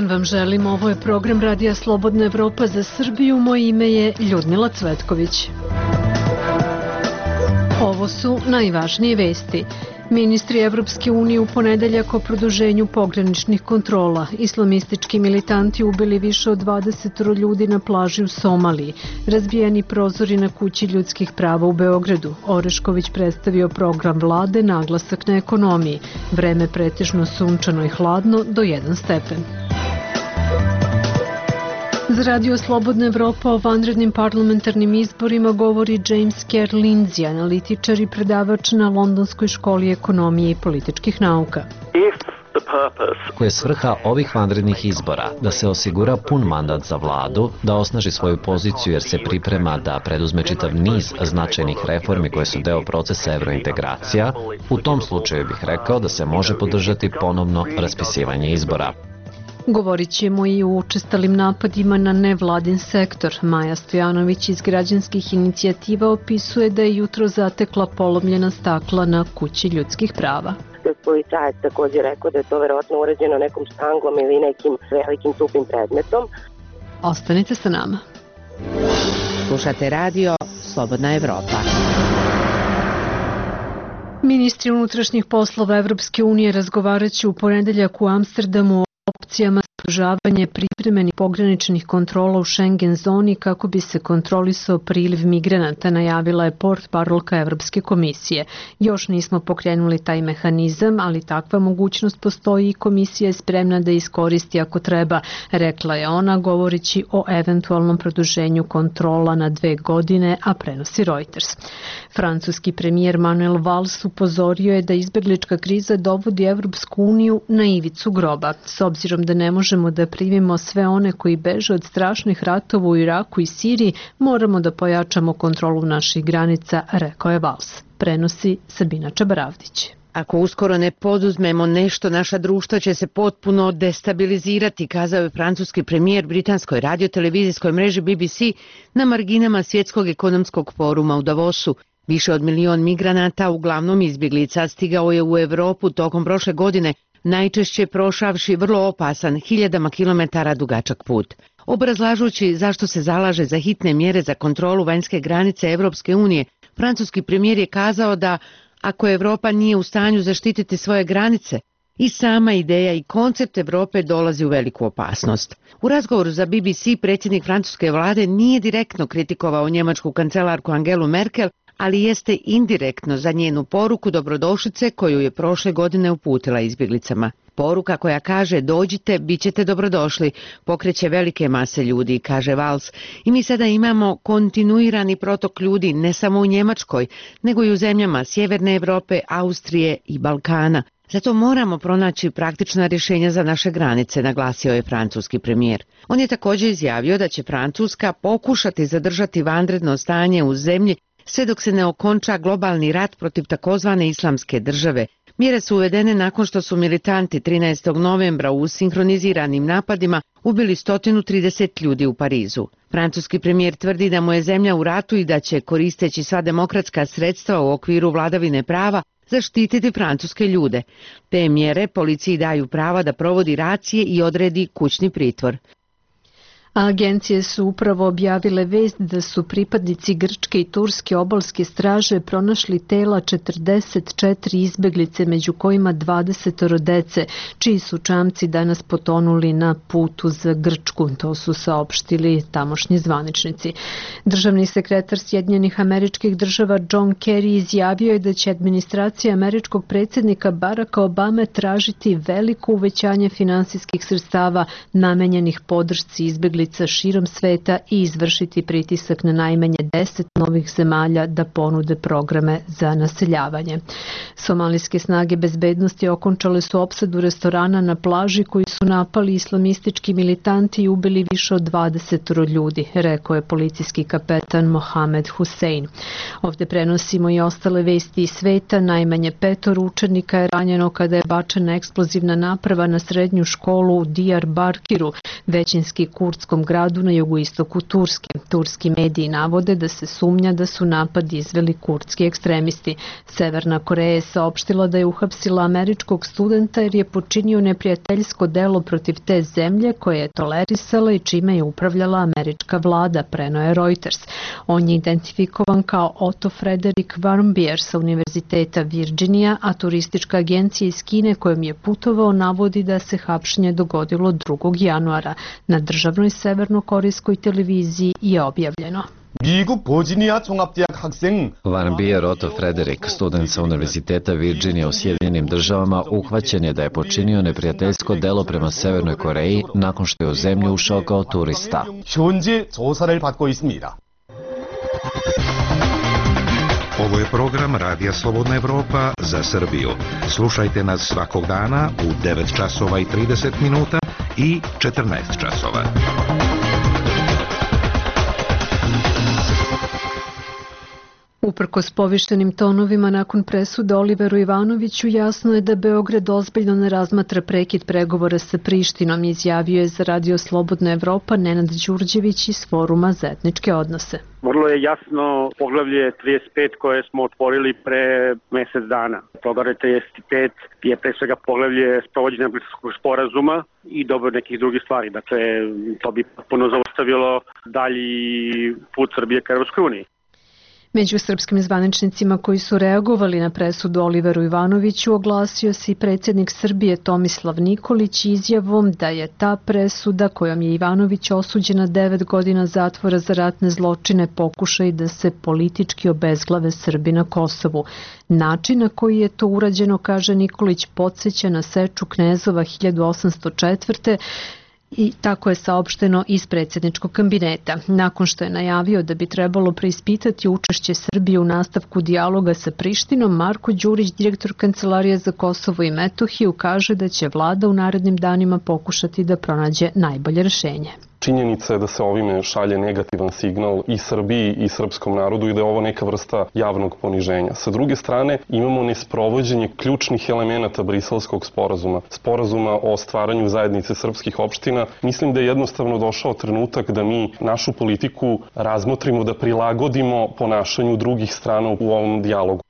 vam želim, ovo je program Radija Slobodna Evropa za Srbiju, moje ime je Ljudmila Cvetković. Ovo su najvažnije vesti. Ministri Evropske unije u ponedeljak o produženju pograničnih kontrola. Islamistički militanti ubili više od 20 ljudi na plaži u Somaliji. Razbijeni prozori na kući ljudskih prava u Beogradu. Orešković predstavio program vlade, naglasak na ekonomiji. Vreme pretežno sunčano i hladno do 1 stepen. Za Radio Slobodna Evropa o vanrednim parlamentarnim izborima govori James Kerr Lindsay, analitičar i predavač na Londonskoj školi ekonomije i političkih nauka. Koja je svrha ovih vanrednih izbora? Da se osigura pun mandat za vladu, da osnaži svoju poziciju jer se priprema da preduzme čitav niz značajnih reformi koje su deo procesa evrointegracija. U tom slučaju bih rekao da se može podržati ponovno raspisivanje izbora. Govorit ćemo i o učestalim napadima na nevladin sektor. Maja Stojanović iz građanskih inicijativa opisuje da je jutro zatekla polomljena stakla na kući ljudskih prava. Policajac također rekao da je to verovatno urađeno nekom štanglom ili nekim velikim tupim predmetom. Ostanite sa nama. Slušate radio Slobodna Evropa. Ministri unutrašnjih poslova Evropske unije razgovarat će u ponedeljak u Amsterdamu o opcijama sprožavanja privremenih pograničnih kontrola u Schengen zoni kako bi se kontrolisao priliv migranata, najavila je portparolka Evropske komisije. Još nismo pokrenuli taj mehanizam, ali takva mogućnost postoji i komisija je spremna da iskoristi ako treba, rekla je ona govoreći o eventualnom produženju kontrola na 2 godine, a prenosi Reuters. Francuski premijer Manuel Valls upozorio je da izbeglička kriza dovodi Evropsku uniju na ivicu groba. S obzirom da ne možemo da primimo sve one koji beže od strašnih ratova u Iraku i Siriji, moramo da pojačamo kontrolu naših granica, rekao je Valls. Prenosi Sabina Čabaravdić. Ako uskoro ne poduzmemo nešto, naša društva će se potpuno destabilizirati, kazao je francuski premijer britanskoj radiotelevizijskoj mreži BBC na marginama Svjetskog ekonomskog foruma u Davosu. Više od 1 milion migranata, uglavnom izbjeglica, stigao je u Evropu tokom prošle godine, najčešće prošavši vrlo opasan, hiljadama kilometara dugačak put. Obrazlažući zašto se zalaže za hitne mjere za kontrolu vanjske granice Evropske unije, francuski premijer je kazao da ako Evropa nije u stanju zaštititi svoje granice, i sama ideja i koncept Evrope dolazi u veliku opasnost. U razgovoru za BBC predsjednik francuske vlade nije direktno kritikovao njemačku kancelarku Angelu Merkel, ali jeste indirektno za njenu poruku dobrodošlice koju je prošle godine uputila izbjeglicama. Poruka koja kaže dođite, bit ćete dobrodošli, pokreće velike mase ljudi, kaže Valls. I mi sada imamo kontinuirani protok ljudi ne samo u Njemačkoj, nego i u zemljama Sjeverne Evrope, Austrije i Balkana. Zato moramo pronaći praktična rješenja za naše granice, naglasio je francuski premijer. On je također izjavio da će Francuska pokušati zadržati vanredno stanje u zemlji sve dok se ne okonča globalni rat protiv takozvane islamske države. Mjere su uvedene nakon što su militanti 13. novembra u sinhroniziranim napadima ubili 130 ljudi u Parizu. Francuski premijer tvrdi da mu je zemlja u ratu i da će, koristeći sva demokratska sredstva u okviru vladavine prava, zaštititi francuske ljude. Te mjere policiji daju prava da provodi racije i odredi kućni pritvor. Agencije su upravo objavile vest da su pripadnici grčke i turske obalske straže pronašli tela 44 izbeglice, među kojima 20 dece, čiji su čamci danas potonuli na putu za Grčku. To su saopštili tamošnji zvaničnici. Državni sekretar Sjedinjenih Američkih Država John Kerry izjavio je da će administracija američkog predsjednika Baracka Obame tražiti veliko uvećanje finansijskih sredstava namenjenih podršci izbeglica širom sveta i izvršiti pritisak na najmanje 10 novih zemalja da ponude programe za naseljavanje. Somalijske snage bezbednosti okončale su opsadu restorana na plaži koji su napali islamistički militanti i ubili više od 20 ljudi, rekao je policijski kapetan Mohamed Hussein. Ovdje prenosimo i ostale vesti iz sveta. Najmanje 5 učenika je ranjeno kada je bačena eksplozivna naprava na srednju školu u Diyarbakiru, većinski kurdsko kurskom gradu na jugoistoku Turske. Turski mediji navode da se sumnja da su napad izveli kurdski ekstremisti. Severna Koreja je saopštila da je uhapsila američkog studenta jer je počinio neprijateljsko delo protiv te zemlje koje je tolerisala i čime je upravljala američka vlada, preneo je Reuters. On je identifikovan kao Otto Frederick Warmbier sa Univerziteta Virginia, a turistička agencija iz Kine kojom je putovao navodi da se hapšenje dogodilo 2. januara. Na državnoj severnokorejskoj televiziji je objavljeno. Warmbier Otto Frederick, student sa Univerziteta Virginia u Sjedinjenim državama, uhvaćen je da je počinio neprijateljsko delo prema Severnoj Koreji nakon što je u zemlju ušao kao turista. Ovo je program Radija Slobodna Evropa za Srbiju. Slušajte nas svakog dana u 9 časova i 30 minuta i 14 časova. Uprkos povištenim tonovima nakon presude Oliveru Ivanoviću, jasno je da Beograd ozbiljno ne razmatra prekid pregovora sa Prištinom, izjavio je za Radio Slobodna Evropa Nenad Đurđević iz Foruma za etničke odnose. Vrlo je jasno poglavlje 35 koje smo otvorili pre mesec dana. Poglavlje 35 je pre svega poglavlje sprovođenja Briselskog sporazuma i dobro nekih drugih stvari. Dakle, to bi potpuno zaustavilo dalji put Srbije ka Evropskoj uniji. Među srpskim zvaničnicima koji su reagovali na presudu Oliveru Ivanoviću oglasio se i predsjednik Srbije Tomislav Nikolić izjavom da je ta presuda kojom je Ivanović osuđen na 9 godina zatvora za ratne zločine pokušaj da se politički obezglave Srbi na Kosovu. Način na koji je to urađeno, kaže Nikolić, podsjeća na seču knezova 1804. I tako je saopšteno iz predsjedničkog kabineta. Nakon što je najavio da bi trebalo preispitati učešće Srbije u nastavku dijaloga sa Prištinom, Marko Đurić, direktor Kancelarije za Kosovo i Metohiju, kaže da će vlada u narednim danima pokušati da pronađe najbolje rješenje. Činjenica je da se ovime šalje negativan signal i Srbiji i srpskom narodu i da je ovo neka vrsta javnog poniženja. Sa druge strane, imamo nesprovođenje ključnih elemenata Briselskog sporazuma, sporazuma o stvaranju zajednice srpskih opština. Mislim da je jednostavno došao trenutak da mi našu politiku razmotrimo, da prilagodimo ponašanju drugih strana u ovom dijalogu.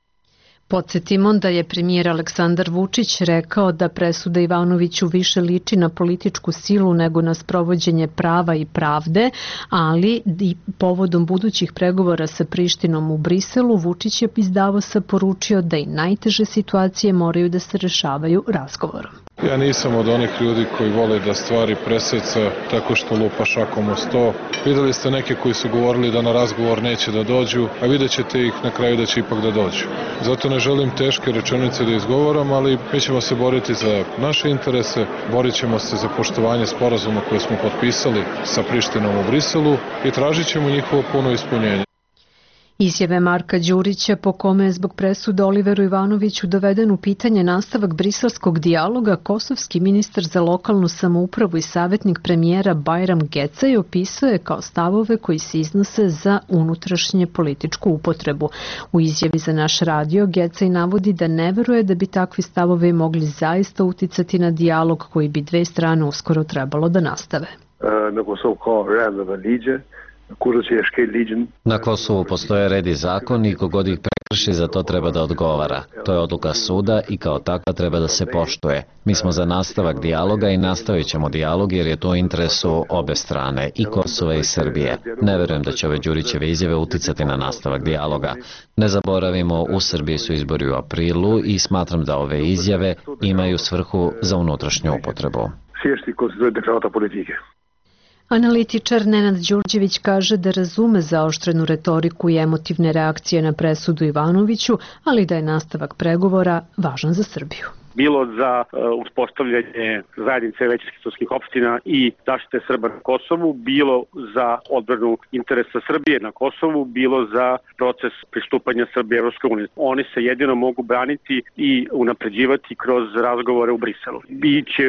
Podsjetimo da je premijer Aleksandar Vučić rekao da presuda Ivanoviću više liči na političku silu nego na sprovođenje prava i pravde, ali i povodom budućih pregovora sa Prištinom u Briselu, Vučić je iz Davosa poručio da i najteže situacije moraju da se rešavaju razgovorom. Ja nisam od onih ljudi koji vole da stvari preseca tako što lupa šakom o sto. Videli ste neke koji su govorili da na razgovor neće da dođu, a vidjet ćete ih na kraju da će ipak da dođu. Zato ne želim teške rečenice da izgovaram, ali mi ćemo se boriti za naše interese, borit ćemo se za poštovanje sporazuma koje smo potpisali sa Prištinom u Briselu i tražit ćemo njihovo puno ispunjenje. Izjave Marka Đurića po kome je zbog presude Oliveru Ivanoviću doveden u pitanje nastavak briselskog dijaloga, kosovski ministar za lokalnu samoupravu i savjetnik premijera Bajram Gecaj opisuje kao stavove koji se iznose za unutrašnje političku upotrebu. U izjavi za naš radio Gecaj navodi da ne veruje da bi takvi stavovi mogli zaista uticati na dijalog koji bi dve strane uskoro trebalo da nastave. Na Kosovu postoje red i zakon i kogod ih prekrši za to treba da odgovara. To je odluka suda i kao takva treba da se poštuje. Mi smo za nastavak dijaloga i nastavit ćemo dijalog jer je to u interesu obe strane, i Kosova i Srbije. Ne verujem da će ove Đurićeve izjave uticati na nastavak dijaloga. Ne zaboravimo, u Srbiji su izbori u aprilu i smatram da ove izjave imaju svrhu za unutrašnju upotrebu. Analitičar Nenad Đurđević kaže da razume zaoštrenu retoriku i emotivne reakcije na presudu Ivanoviću, ali da je nastavak pregovora važan za Srbiju. Bilo za uspostavljanje zajednice većinskih srpskih opština i zaštite Srba na Kosovu, bilo za odbranu interesa Srbije na Kosovu, bilo za proces pristupanja Srbije Evropskoj uniji. Oni se jedino mogu braniti i unapređivati kroz razgovore u Briselu. Biće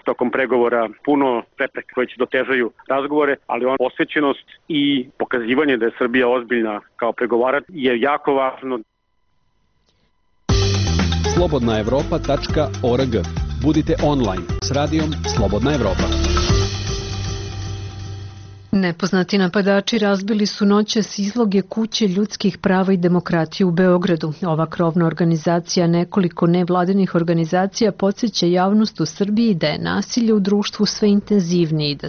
tokom pregovora puno prepreka koje će dotežaju razgovore, ali posvećenost i pokazivanje da je Srbija ozbiljna kao pregovarač je jako važno. slobodnaevropa.org. Budite online s radijom Slobodna Evropa. Nepoznati napadači razbili su noćas izloge kuće ljudskih prava i demokratije u Beogradu. Ova krovna organizacija nekoliko nevladinih organizacija podsjeća javnost u Srbiji da je nasilje u društvu sve intenzivnije i da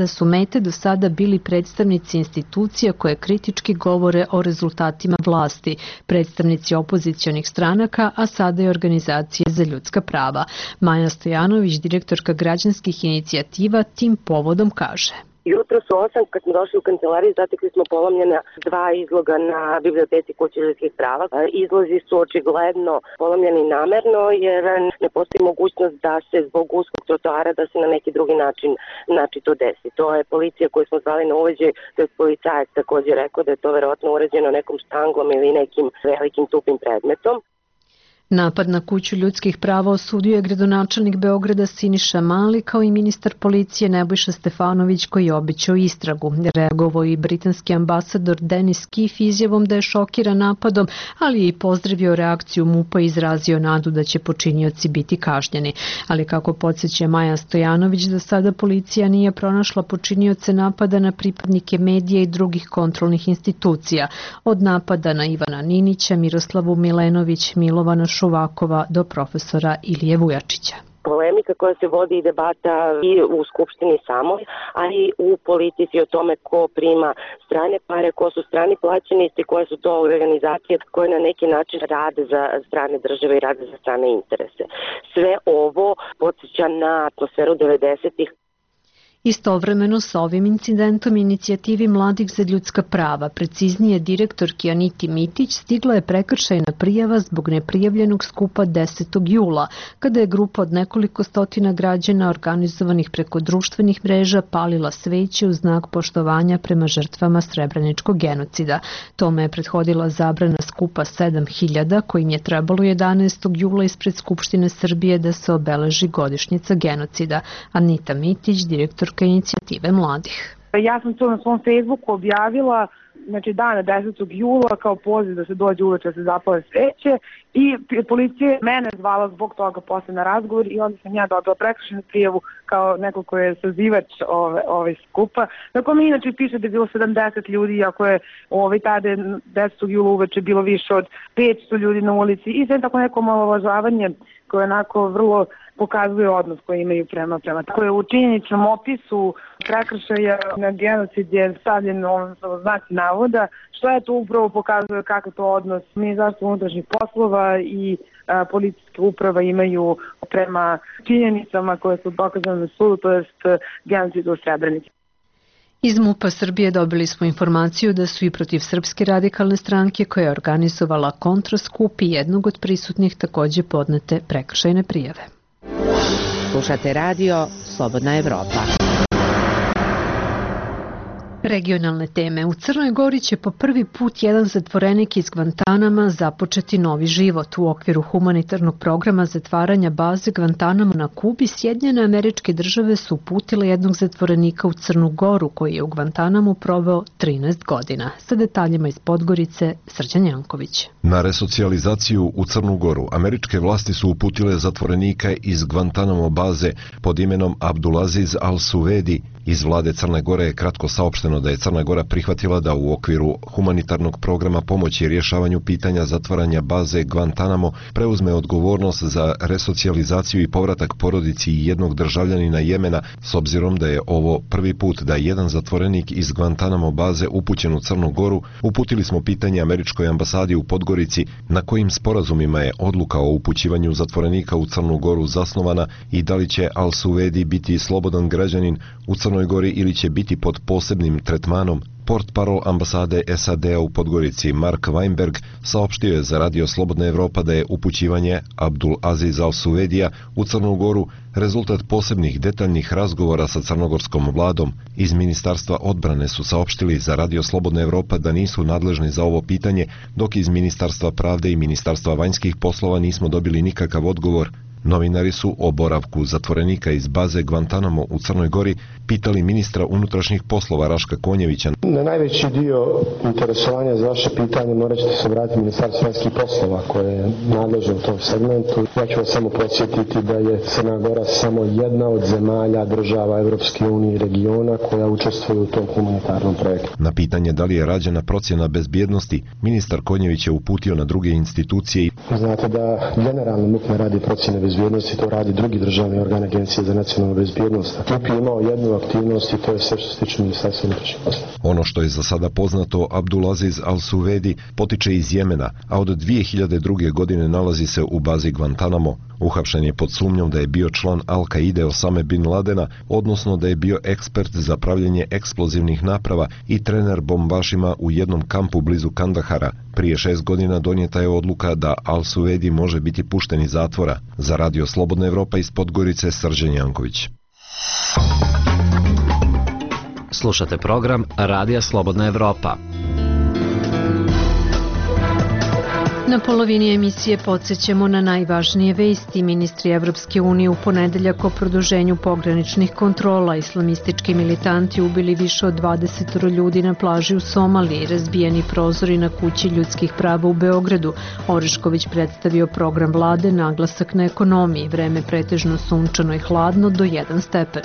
su mete do sada bili predstavnici institucija koje kritički govore o rezultatima vlasti, predstavnici opozicionih stranaka, a sada i organizacije za ljudska prava. Maja Stojanović, direktorka građanskih inicijativa, tim povodom kaže. Jutro su 8, kad smo došli u kancelariju, zatekli smo polomljena 2 izloga na biblioteci kuće ljudskih prava. Izlozi su očigledno polomljeni namerno, jer ne postoji mogućnost da se zbog uskog trotoara da se na neki drugi način to desi. To je policija koju smo zvali na uveđaj, to je policajac također rekao da je to verovatno urađeno nekom štanglom ili nekim velikim tupim predmetom. Napad na kuću ljudskih prava osudio je gradonačelnik Beograda Siniša Mali kao i ministar policije Nebojša Stefanović koji je obećao istragu. Reagovao i britanski ambasador Denis Keefe izjavom da je šokiran napadom, ali je i pozdravio reakciju MUP-a i izrazio nadu da će počinioci biti kažnjeni. Ali kako podsjeća Maja Stojanović, do sada policija nije pronašla počinioce napada na pripadnike medija i drugih kontrolnih institucija. Od napada na Ivana Ninića, Miroslavu Milenović, Milovana Šuvakova do profesora Ilije Vujačića. Polemika koja se vodi i debata i u Skupštini samoj, a i u politici o tome ko prima strane pare, ko su strani plaćenici, koje su to organizacije koje na neki način rade za strane države i rade za strane interese. Sve ovo podsjeća na atmosferu 90-ih. Istovremeno sa ovim incidentom inicijativi Mladih za ljudska prava, preciznije direktorki Aniti Mitić, stigla je prekršajna prijava zbog neprijavljenog skupa 10. jula, kada je grupa od nekoliko stotina građana organizovanih preko društvenih mreža palila sveće u znak poštovanja prema žrtvama Srebreničkog genocida. Tome je prethodila zabrana skupa 7000 kojim je trebalo 11. jula ispred Skupštine Srbije da se obeleži godišnjica genocida. Anita Mitić, direktor inicijative mladih. Ja sam to na svom Facebooku objavila, znači dana 10. jula kao poziv da se dođe uveče da se zapale sveće i policija mene zvala zbog toga posle na razgovor i onda sam ja dobila prekršajnu prijavu kao neko ko je sazivač ove skupa. Tako mi inače piše da je bilo 70 ljudi, iako je tada 10. jula uveče bilo više od 500 ljudi na ulici i sve tako neko omalovažavanje koje onako vrlo pokazuje odnos koji imaju prema. Tako je u činjeničnom opisu prekršaja na genocid je stavljen znaci navoda, što je to upravo pokazuje kakav to odnos Ministarstva unutrašnjih poslova i policijske uprava imaju prema činjenicama koje su dokazane na sudu, to jest genocid u Srebrenici. Iz MUP-a Srbije dobili smo informaciju da su i protiv Srpske radikalne stranke koja je organizovala kontraskup i jednog od prisutnih takođe podnete prekršajne prijave. Slušate radio Slobodna Evropa. Regionalne teme. U Crnoj Gori će po prvi put jedan zatvorenik iz Gvantanama započeti novi život. U okviru humanitarnog programa zatvaranja baze Gvantanamo na Kubi, Sjedinjene Američke Države su uputile jednog zatvorenika u Crnu Goru koji je u Gvantanamu proveo 13 godina. Sa detaljima iz Podgorice, Srđan Janković. Na resocijalizaciju u Crnu Goru američke vlasti su uputile zatvorenika iz Gvantanamo baze pod imenom Abdulaziz Al-Suvedi. Iz vlade Crne Gore je kratko saopšteno da je Crna Gora prihvatila da u okviru humanitarnog programa pomoći rješavanju pitanja zatvaranja baze Gvantanamo preuzme odgovornost za resocijalizaciju i povratak porodici jednog državljanina Jemena, s obzirom da je ovo prvi put da jedan zatvorenik iz Gvantanamo baze upućen u Crnu Goru. Uputili smo pitanje američkoj ambasadi u Podgorici na kojim sporazumima je odluka o upućivanju zatvorenika u Crnu Goru zasnovana i da li će Al-Suvedi biti slobodan građanin u Crnoj Gori ili će biti pod posebnim tretmanom. Portparol ambasade SAD-a u Podgorici Mark Weinberg saopštio je za radio Slobodna Evropa da je upućivanje Abdul Aziz Al-Suvedija u Crnu Goru rezultat posebnih detaljnih razgovora sa crnogorskom vladom. Iz Ministarstva odbrane su saopštili za radio Slobodna Evropa da nisu nadležni za ovo pitanje, dok iz Ministarstva pravde i Ministarstva vanjskih poslova nismo dobili nikakav odgovor. Novinari su o boravku zatvorenika iz baze Guantanamo u Crnoj Gori pitali ministra unutrašnjih poslova Raška Konjevića. Na najveći dio interesovanja za vaše pitanje morat ćete se vratiti Ministarstvo vanjskih poslova koje je nadležno u tom segmentu. Ja ću vas samo podsjetiti da je Crna Gora samo jedna od zemalja država Evropske unije i regiona koja učestvuje u tom humanitarnom projektu. Na pitanje da li je rađena procjena bezbjednosti, ministar Konjević je uputio na druge institucije. Znate da generalno MUP ne radi procjene bezbjednosti, to radi drugi državni organ Agencije za nacionalnu bezbjednost. MUP je imao jednu aktivnost i to je sve što se tiče Ministarstva unutrašnjih poslova. Ono što je za sada poznato, Abdulaziz Al-Suvedi potiče iz Jemena, a od 2002. godine nalazi se u bazi Guantanamo. Uhapšen je pod sumnjom da je bio član Al-Kaide Osame bin Ladena, odnosno da je bio ekspert za pravljenje eksplozivnih naprava i trener bombašima u jednom kampu blizu Kandahara. Prije 6 godina donijeta je odluka da Al-Suvedi može biti pušten iz zatvora. Za Radio Slobodna Evropa iz Podgorice, Srđan Janković. Slušate program Radija Slobodna Evropa. Na polovini emisije podsjećamo na najvažnije vesti. Ministri Evropske unije u ponedeljak o produženju pograničnih kontrola. Islamistički militanti ubili više od 20 ljudi na plaži u Somaliji, razbijeni prozori na kući ljudskih prava u Beogradu. Orešković predstavio program vlade, naglasak na ekonomiji, vreme pretežno sunčano i hladno do 1 stepen.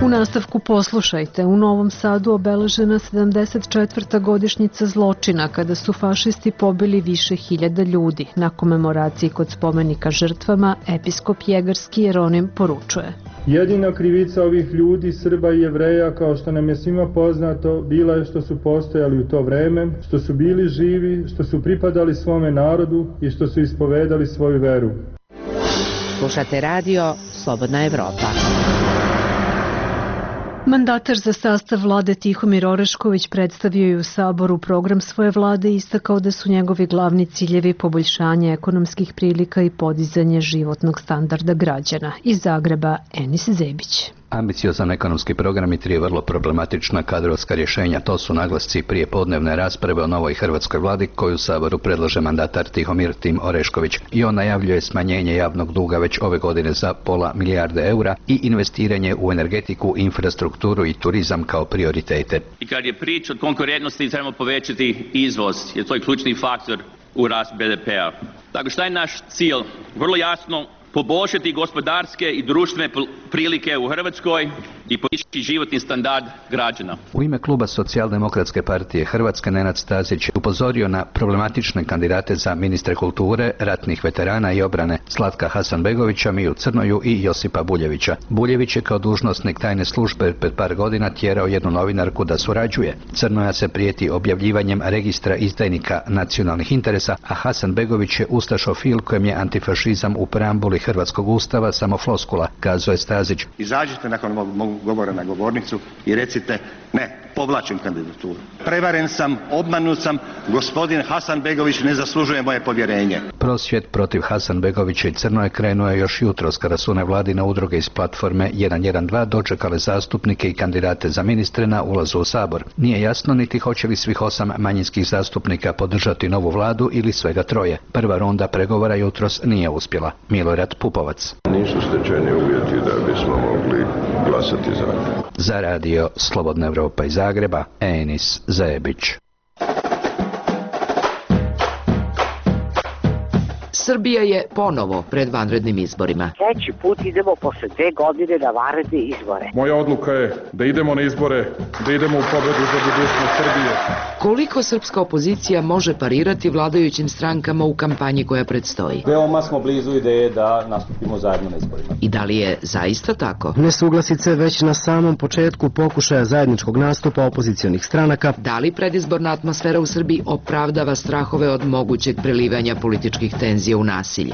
U nastavku poslušajte, u Novom Sadu obeležena 74. godišnjica zločina kada su fašisti pobili više hiljada ljudi. Na komemoraciji kod spomenika žrtvama episkop Jegarski Jeronim poručuje. Jedina krivica ovih ljudi, Srba i Jevreja, kao što nam je svima poznato, bila je što su postojali u to vreme, što su bili živi, što su pripadali svome narodu i što su ispovedali svoju veru. Slušate radio Slobodna Evropa. Mandatar za sastav vlade Tihomir Orešković predstavio je u Saboru program svoje vlade i istakao da su njegovi glavni ciljevi poboljšanje ekonomskih prilika i podizanje životnog standarda građana. Iz Zagreba, Enis Zebić. Ambiciozan ekonomski program i 3 vrlo problematična kadrovska rješenja, to su naglasci prije podnevne rasprave o novoj hrvatskoj vladi koju u Saboru predlaže mandatar Tihomir Tim Orešković. I on najavljuje smanjenje javnog duga već ove godine za pola milijarde eura i investiranje u energetiku, infrastrukturu i turizam kao prioritete. I kad je priča o konkurentnosti, trebamo povećati izvoz, jer to je ključni faktor u rast BDP-a. Dakle, šta je naš cilj? Vrlo jasno, poboljšati gospodarske i društvene prilike u Hrvatskoj i podići životni standard građana. U ime kluba Socijaldemokratske partije Hrvatske Nenad Stazić upozorio na problematične kandidate za ministre kulture, ratnih veterana i obrane Slatka Hasanbegovića, Miju Crnoju i Josipa Buljevića. Buljević je kao dužnosnik tajne službe pred par godina tjerao jednu novinarku da surađuje. Crnoja se prijeti objavljivanjem registra izdajnika nacionalnih interesa, a Hasanbegović je ustašofil kojem je antifašizam u preambuli Hrvatskog ustava samo floskula, kazao je Stazić. Izađite nakon mog govora na govornicu i recite ne, povlačim kandidaturu. Prevaren sam, obmanut sam, gospodin Hasanbegović ne zaslužuje moje povjerenje. Prosvjed protiv Hasanbegovića i Crnoje krenuo je još jutros kada su nevladine udruge iz platforme 112 dočekale zastupnike i kandidate za ministre na ulazu u Sabor. Nije jasno niti hoće li svih 8 manjinskih zastupnika podržati novu vladu ili svega 3. Prva runda pregovora jutros nije uspjela. Milorad Pupovac. Nisu stečeni uvjeti da bismo mogli glasati za. Za radio Slobodna Evropa iz Zagreba, Enis Zebić. Srbija je ponovo pred vanrednim izborima. Treći put idemo posle 2 godine na vanredne izbore. Moja odluka je da idemo na izbore, da idemo u pobedu za budućnost Srbije. Koliko srpska opozicija može parirati vladajućim strankama u kampanji koja predstoji? Veoma smo blizu ideje da nastupimo zajedno na izborima. I da li je zaista tako? Nesuglasice već na samom početku pokušaja zajedničkog nastupa opozicionih stranaka. Da li predizborna atmosfera u Srbiji opravdava strahove od mogućeg prelivanja političkih tenzija u nasilje?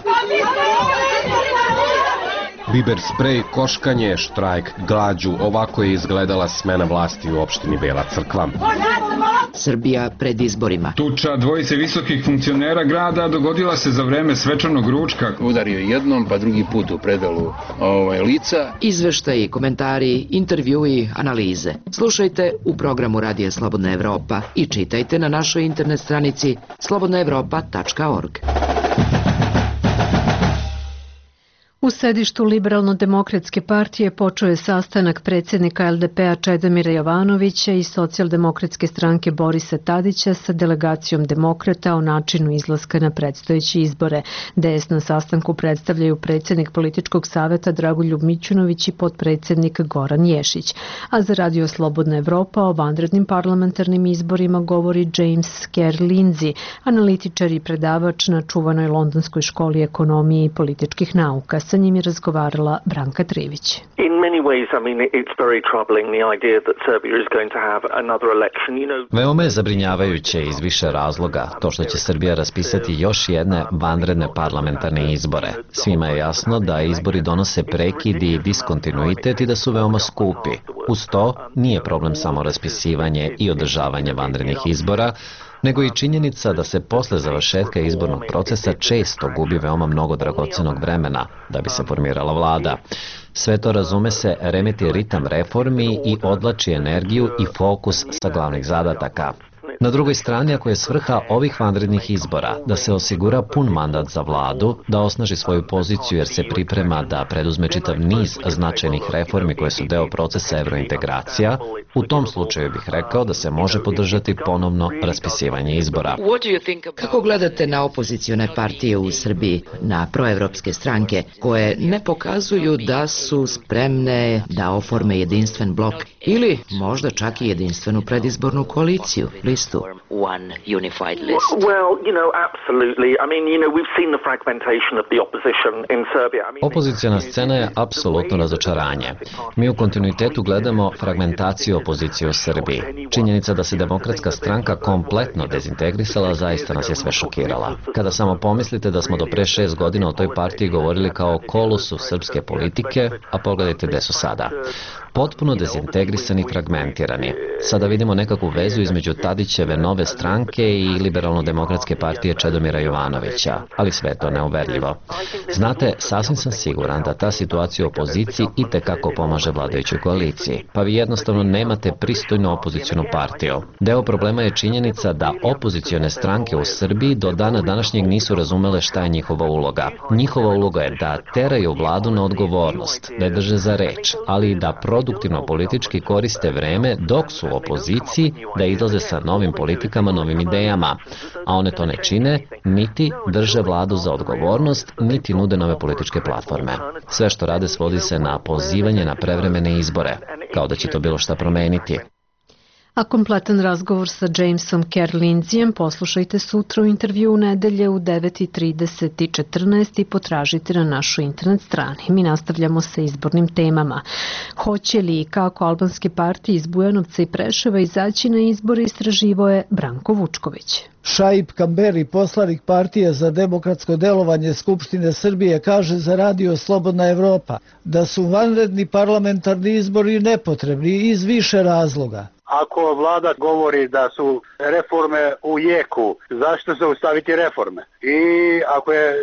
Biber sprej, koškanje, štrajk, glađu, ovako je izgledala smena vlasti u opštini Bela Crkva. Srbija pred izborima. Tuča dvojice visokih funkcionera grada dogodila se za vreme svečanog ručka. Udario jednom, pa drugi put u predalu lica. Izveštaji, komentari, intervjui, analize. Slušajte u programu Radija Slobodna Evropa i čitajte na našoj internet stranici slobodnaevropa.org. U sedištu Liberalno-demokratske partije počeo je sastanak predsjednika LDP-a Čedomira Jovanovića i Socijaldemokratske stranke Borisa Tadića sa delegacijom demokrata o načinu izlaska na predstojeće izbore. DS na sastanku predstavljaju predsjednik političkog saveta Dragoljub Mićunović i potpredsjednik Goran Ješić. A za Radio Slobodna Evropa o vanrednim parlamentarnim izborima govori James Kerr Lindsay, analitičar i predavač na čuvanoj Londonskoj školi ekonomije i političkih nauka. Sa njim je razgovarala Branka Trivić. Veoma je zabrinjavajuće iz više razloga to što će Srbija raspisati još jedne vanredne parlamentarne izbore. Svima je jasno da izbori donose prekid i diskontinuitet i da su veoma skupi. Uz to nije problem samo raspisivanje i održavanje vanrednih izbora, nego i činjenica da se posle završetka izbornog procesa često gubi veoma mnogo dragocenog vremena da bi se formirala vlada. Sve to, razume se, remeti ritam reformi i odlači energiju i fokus sa glavnih zadataka. Na drugoj strani, ako je svrha ovih vanrednih izbora da se osigura pun mandat za vladu, da osnaži svoju poziciju jer se priprema da preduzme čitav niz značajnih reformi koje su deo procesa evrointegracija, u tom slučaju bih rekao da se može podržati ponovno raspisivanje izbora. Kako gledate na opozicione partije u Srbiji, na proevropske stranke koje ne pokazuju da su spremne da oforme jedinstven blok ili možda čak i jedinstvenu predizbornu koaliciju, listu? Opoziciona scena je apsolutno razočaranje. Mi u kontinuitetu gledamo fragmentaciju opozicije u Srbiji. Činjenica da se Demokratska stranka kompletno dezintegrisala zaista nas je sve šokirala. Kada samo pomislite da smo do pre 6 godina o toj partiji govorili kao kolosu srpske politike, a pogledajte gde su sada. Potpuno dezintegrisani i fragmentirani. Sada vidimo nekakvu vezu između Tadićeve nove stranke i Liberalno-demokratske partije Čedomira Jovanovića, ali sve je to neuverljivo. Znate, sasvim sam siguran da ta situacija u opoziciji itekako pomaže vladajućoj koaliciji, pa vi jednostavno nemate pristojnu opozicionu partiju. Deo problema je činjenica da opozicione stranke u Srbiji do dana današnjeg nisu razumele šta je njihova uloga. Njihova uloga je da teraju vladu na odgovornost, da je drže za reč, ali i da produktivno politički koriste vreme dok su u opoziciji, da izlaze sa novim politikama, novim idejama, a one to ne čine, niti drže vladu za odgovornost, niti nude nove političke platforme. Sve što rade svodi se na pozivanje na prevremene izbore, kao da će to bilo šta promeniti. A kompletan razgovor sa Jamesom Kerr Lindsayem poslušajte sutra u intervju u nedelje u 9:30 i 14 i potražite na našoj internet strani. Mi nastavljamo sa izbornim temama. Hoće li i kako albanske partije iz Bujanovca i Preševa izaći na izbore, istraživao je Branko Vučković. Šaip Kamberi, poslanik partije za demokratsko delovanje Skupštine Srbije, kaže za Radio Slobodna Evropa da su vanredni parlamentarni izbori nepotrebni iz više razloga. Ako vlada govori da su reforme u jeku, zašto zaustaviti reforme? I ako je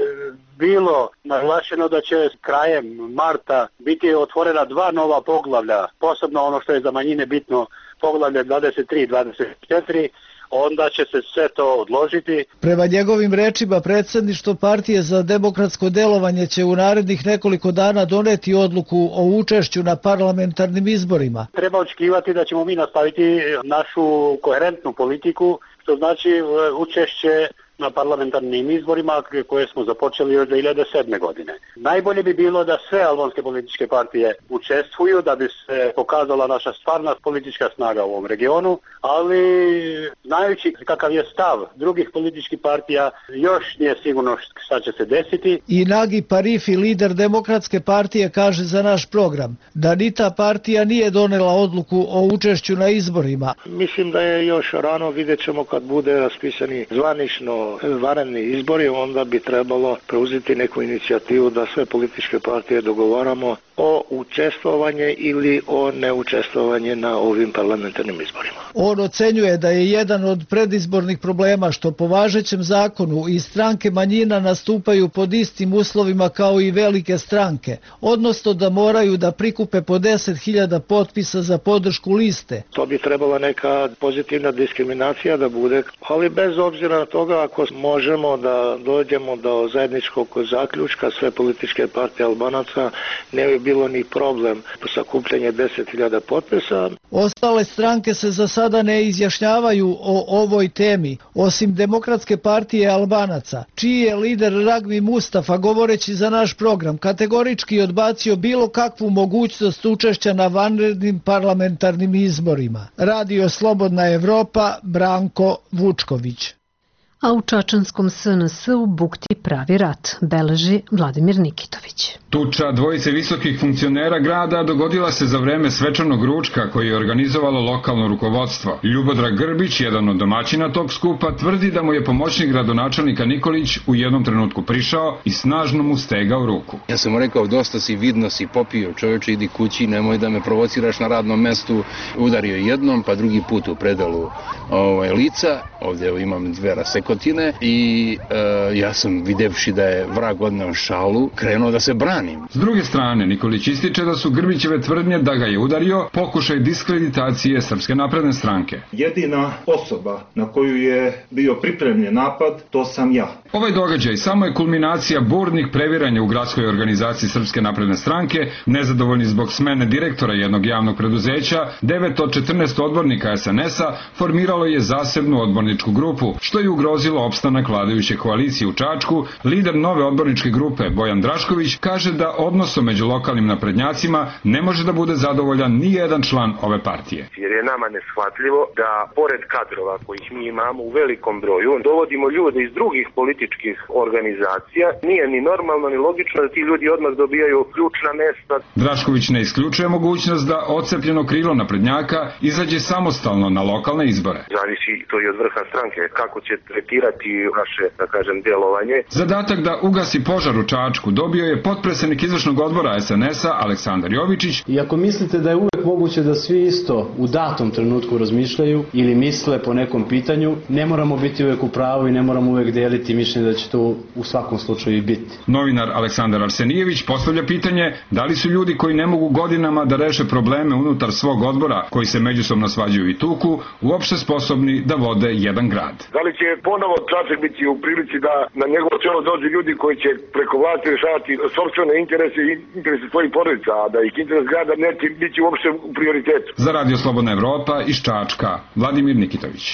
bilo naglašeno da će krajem marta biti otvorena 2 nova poglavlja, posebno ono što je za manjine bitno, poglavlje 23 i 24, onda će se sve to odložiti. Prema njegovim rečima, predsjedništvo partije za demokratsko delovanje će u narednih nekoliko dana doneti odluku o učešću na parlamentarnim izborima. Treba očekivati da ćemo mi nastaviti našu koherentnu politiku, što znači učešće na parlamentarnim izborima koje smo započeli još 2007. godine. Najbolje bi bilo da sve albanske političke partije učestvuju, da bi se pokazala naša stvarna politička snaga u ovom regionu, ali znajući kakav je stav drugih političkih partija, još nije sigurno šta će se desiti. I Nagi Parifi, lider Demokratske partije, kaže za naš program da ni ta partija nije donela odluku o učešću na izborima. Mislim da je još rano, vidjet ćemo kad bude raspisani zvanično vanredni izbori, onda bi trebalo preuzeti neku inicijativu da sve političke partije dogovaramo o učestvovanje ili o neučestvovanje na ovim parlamentarnim izborima. On ocenjuje da je jedan od predizbornih problema što po važećem zakonu i stranke manjina nastupaju pod istim uslovima kao i velike stranke, odnosno da moraju da prikupe po 10.000 potpisa za podršku liste. To bi trebala neka pozitivna diskriminacija da bude, ali bez obzira na toga ako možemo da dođemo do zajedničkog zaključka sve političke partije Albanaca, ne bi bilo ni problem sakupljanje 10.000 potpisa. Ostale stranke se za sada ne izjašnjavaju o ovoj temi, osim Demokratske partije Albanaca, čiji je lider Ragmi Mustafa, govoreći za naš program, kategorički odbacio bilo kakvu mogućnost učešća na vanrednim parlamentarnim izborima. Radio Slobodna Evropa, Branko Vučković. A u čačanskom SNS-u bukti pravi rat, beleži Vladimir Nikitović. Tuča dvojice visokih funkcionera grada dogodila se za vreme svečanog ručka koji je organizovalo lokalno rukovodstvo. Ljubodrag Grbić, jedan od domaćina tog skupa, tvrdi da mu je pomoćnik gradonačelnika Nikolić u jednom trenutku prišao i snažno mu stegao ruku. Ja sam mu rekao, dosta si, vidno si popio, čoveče, idi kući, nemoj da me provociraš na radnom mestu. Udario jednom, pa drugi put u predalu lica, ovdje imam 2 rasekotine i ja sam, videvši da je vrag odneo šalu, krenuo da se brani. S druge strane, Nikolić ističe da su Grbićeve tvrdnje da ga je udario pokušaj diskreditacije Srpske napredne stranke. Jedina osoba na koju je bio pripremljen napad, to sam ja. Ovaj događaj samo je kulminacija burnih previranja u gradskoj organizaciji Srpske napredne stranke, nezadovoljni zbog smene direktora jednog javnog preduzeća, 9 od 14 odbornika SNS-a formiralo je zasebnu odborničku grupu, što je ugrozilo opstanak vladajuće koalicije u Čačku. Lider nove odborničke grupe, Bojan Drašković, kaže da odnosom među lokalnim naprednjacima ne može da bude zadovoljan ni jedan član ove partije. Jer je nama neshvatljivo da pored kadrova kojih mi imamo u velikom broju, dovodimo ljude iz drugih političkih organizacija. Nije ni normalno ni logično da ti ljudi odmah dobijaju ključna mesta. Drašković ne isključuje mogućnost da odcepljeno krilo naprednjaka izađe samostalno na lokalne izbore. Zavisi to i od vrha stranke, kako će tretirati naše, da kažem, djelovanje. Zadatak da ugasi požar u Čačku dobio je potpredsednik izvršnog odbora SNS-a Aleksandar Jovičić. I ako mislite da je uvek moguće da svi isto u datom trenutku razmišljaju ili misle po nekom pitanju, ne moramo biti uvek u pravu i ne moramo uvek deliti mišljenje da će to u svakom slučaju i biti. Novinar Aleksandar Arsenijević postavlja pitanje da li su ljudi koji ne mogu godinama da reše probleme unutar svog odbora, koji se međusobno svađaju i tuku, uopšte sposobni da vode jedan grad. Da li će ponovo Čačak biti u prilici da na njegovo čelo dođe ljudi koji će preko vlasti rešavati sopstvene interese i interese svojih porodica, a da ih interes grada neće biti uopšte u prioritetu. Za Radio Slobodna Evropa iz Čačka, Vladimir Nikitović.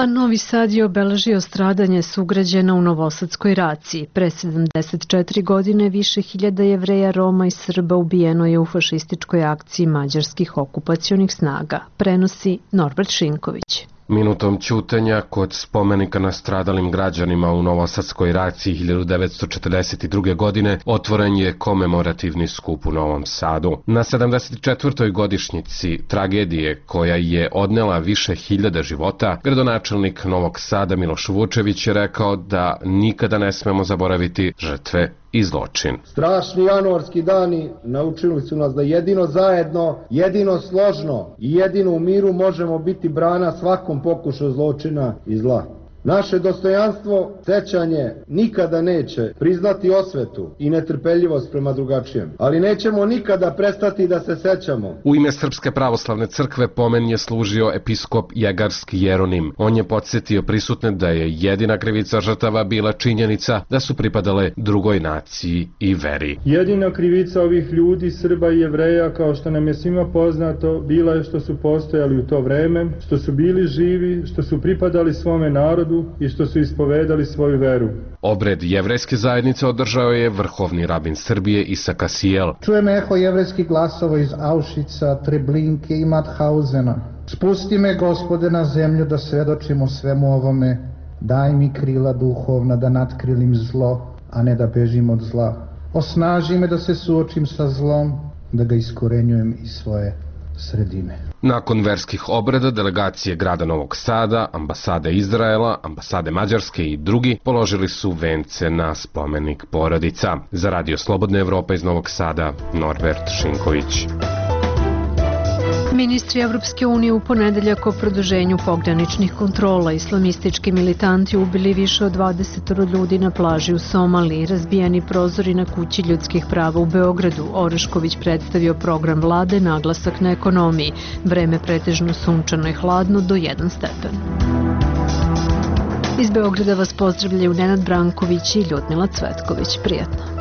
A Novi Sad je obeležio stradanje sugrađana u Novosadskoj raciji. Pre 74 godine više hiljada Jevreja, Roma i Srba ubijeno je u fašističkoj akciji mađarskih okupacionih snaga, prenosi Norbert Šinković. Minutom ćutanja kod spomenika nastradalim građanima u Novosadskoj raciji 1942. godine otvoren je komemorativni skup u Novom Sadu. Na 74. godišnjici tragedije koja je odnela više hiljada života, gradonačelnik Novog Sada Miloš Vučević je rekao da nikada ne smemo zaboraviti žrtve i zločin. Strašni januarski dani naučili su nas da jedino zajedno, jedino složno i jedino u miru možemo biti brana svakom pokušaju zločina i zla. Naše dostojanstvo, sećanje nikada neće priznati osvetu i netrpeljivost prema drugačijem, ali nećemo nikada prestati da se sećamo. U ime Srpske pravoslavne crkve pomen je služio episkop Jegarski Jeronim. On je podsjetio prisutne da je jedina krivica žrtava bila činjenica da su pripadale drugoj naciji i veri. Jedina krivica ovih ljudi, Srba i Jevreja, kao što nam je svima poznato, bila je što su postojali u to vreme, što su bili živi, što su pripadali svome narodu i što su ispovedali svoju veru. Obred jevrejske zajednice održao je vrhovni rabin Srbije Isak Asijel. Čujem eho jevrejskih glasova iz Auschwitza, Treblinke i Mauthausena. Spusti me, Gospode, na zemlju da svedočim o svemu ovome. Daj mi krila duhovna da natkrilim zlo, a ne da bežim od zla. Osnaži me da se suočim sa zlom, da ga iskorenjujem iz svoje sredine. Nakon verskih obreda delegacije grada Novog Sada, ambasade Izraela, ambasade Mađarske i drugi položili su vence na spomenik porodica. Za Radio Slobodna Evropa iz Novog Sada, Norbert Šinković. Ministri Evropske unije u ponedeljak o produženju pograničnih kontrola. Islamistički militanti ubili više od 20 ljudi na plaži u Somaliji, razbijani prozori na kući ljudskih prava u Beogradu. Orešković predstavio program vlade, naglasak na ekonomiji. Vreme pretežno sunčano i hladno do 1 stepen. Iz Beograda vas pozdravljaju Nenad Branković i Ljudmila Cvetković. Prijetno.